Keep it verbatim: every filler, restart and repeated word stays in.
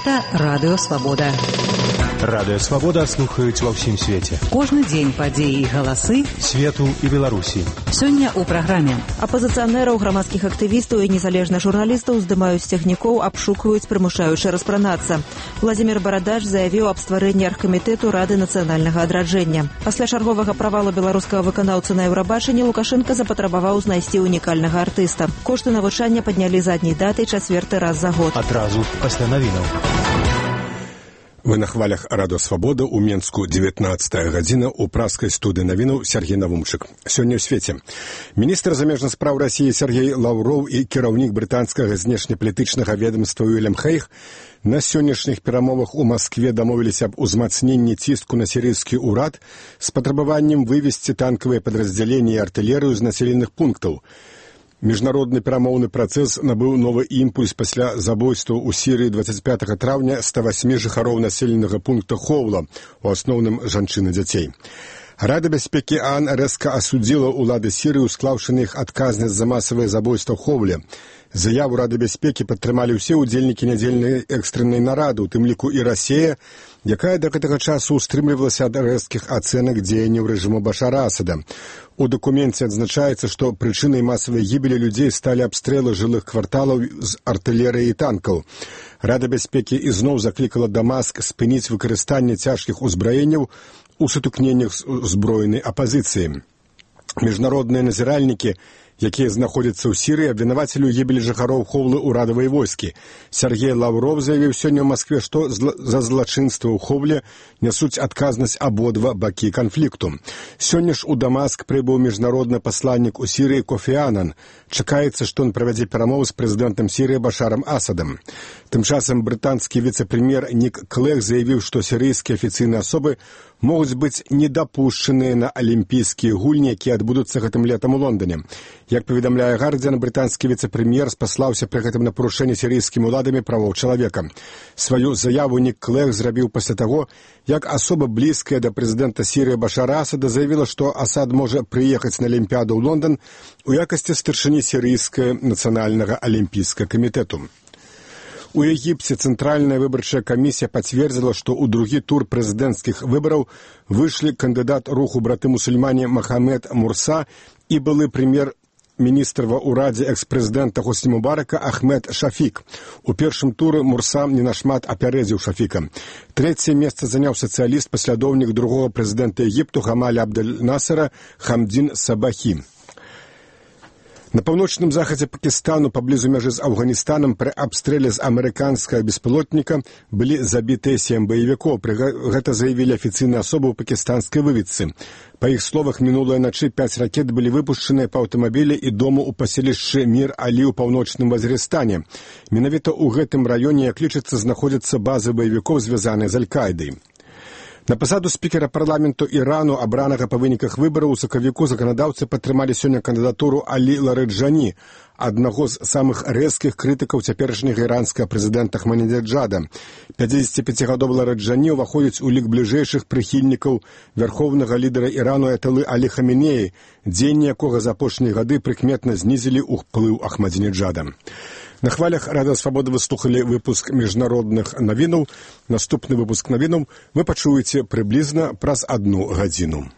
Гэта Радыё Свабода. Радыё Свабода слухаюць ва ўсім свеце. Кожны дзень падзеі і галасы свету і Беларусі. Сёння ў праграме. Апазіцыянераў, грамадскіх актывістаў і незалежных журналістаў здымаюць з цягнікоў, абшукваюць, прымушаючы распранацца. Владзімір Барадач заявіў аб стварэнні аргкамітэту Рады нацыянальнага адраджэння. Пасля чарговага правала беларускага выканаўцы на Еўрабачанні Лукашенка запатрабаваў знайсці унікальнага артыста. Кошты навучання паднялі задняй датай чацвёрты раз за год. Адразу пасля навінаў. Вы на хвалях Радыё Свабода, у Менску дзевятнаццатая гадзіна, у праскай студыі навінаў Сергей Навумчык. Сёння ў свеце. Міністр замежных спраў Расіі Сергей Лаўроў і кіраўнік брытанскага знешнепалітычнага ведамства Уільям Хейг на сённяшніх перамовах у Маскве дамовіліся аб узмацненні ціску на сірыйскі ўрад з патрабаваннем вывесці танкавыя падраздзяленні і артылерыю з населеных пунктаў. Міжнародны перамоўны працэс набыў новы імпульс пасля забойстваў у Сірыі дваццаць пятага траўня ста васьмі жыхароў населенага пункта Хоўла, у асноўным жанчын і дзяцей. Рада бяспекі ААН рэзка асудзіла ўлады Сірыі, усклаўшы на іх адказнасць за масавыя забойства ў Хоўле. Заяву Рады бяспекі падтрымалі ўсе ўдзельнікі нядзельнай экстрэннай нарады, у тым ліку і Расія, якая да гэтага часу устрымлівалася ад рэзкіх ацэнак дзеянняў рэжыму Башара Асада. У дакуменце адзначаецца, што прычынай масавай гібелі людзей сталі абстрэлы жылых кварталаў з артылерыі і танкаў. Рада бяспекі ізноў заклікала Дамаск спыніць выкарыстанне цяжкіх узбраенняў у сутыкненнях з узброенай апазіцыяй. Міжнародныя назіральнікі, якія знаходзяцца ў Сірыі, абвінавацілі ў гібелі жыхароў Хоўлы ўрадавай войскі. Сергей Лаўров заявіў сёння ў Маскве, што за злачынства ў Хоўле нясуць адказнасць абодва бакі канфлікту. Сёння ж у Дамаск прыбыў міжнародны пасланнік у Сірыі Кофі Анан. Чакаецца, што ён правядзе перамовы з прэзідэнтам Сірыі Башарам Асадам. Тым часам брытанскі віцэ-прэм'ер Нік Клэг заявіў, што сірыйскія афіцыйныя асобы могуць быць недапушчаныя на алімпійскія гульні, якія адбудуцца гэтым летам у Лондоне. Як паведамляе Гардзіан, брытанскі віцэ-прэм'ер спаслаўся пры гэтым на парушэнне сірыйскімі ўладамі правоў чалавека. Сваю заяву Нік Клэг зрабіў пасля таго, як асоба блізкая да прэзідэнта Сірыі Башара Асада заявіла, што Асад можа прыехаць на Алімпіяду ў Лондон у якасці старшыні сірыйскага нацыянальнага алімпійскага камітэту. У Егіпце Цэнтральная выбарчая камісія пацвердзіла, што ў другі тур прэзідэнцкіх выбараў выйшлі кандыдат руху браты-мусульмане Махамед Мурса і былы прэм'ер-міністр ва ўрадзе экс-прэзідэнта Хосні Мубарака Ахмед Шафік. У першым туры Мурса не нашмат апярэдзіў Шафіка. Трэцяе месца заняў сацыяліст, паслядоўнік другога прэзідэнта Егіпту Гамаля Абдэль-Насера Хамдзін Сабахі. На паўночным захадзе Пакістану, паблізу мяжы з Афганістанам, пры абстрэле з амерыканскага беспілотніка былі забітыя сем баевікоў. Гэта заявілі афіцыйныя асобы ў пакістанскай выведцы. Па іх словах, мінулай начы пяць ракет былі выпушчаныя па аўтамабілі і дому ў паселішчы Мір-Алі ў паўночным Вазірыстане. Менавіта ў гэтым раёне, як лічыцца, знаходзяцца базы баевікоў, звязаныя з Аль-Каідай. На пасаду спікера парламенту Ірану, абранага па выніках выбараў, у сакавіку заканадаўцы падтрымалі сёння кандыдатуру Алі Ларэджані, аднаго з самых рэзкіх крытыкаў цяперашняга іранскага прэзідэнта Ахмадынеджада. пяцідзесяціпяцігадовы Ларэджані ўваходзіць у лік бліжэйшых прыхільнікаў вярхоўнага лідара Ірану Аяталы Алі Хаменеі, дзеянні якога за апошнія гады прыкметна знізілі ўплыў Ахмадынеджада. На хвалях Радыё Свабода вы слухалі выпуск міжнародных навінаў. Наступны выпуск навінаў вы пачуеце прыблізна праз адну гадзіну.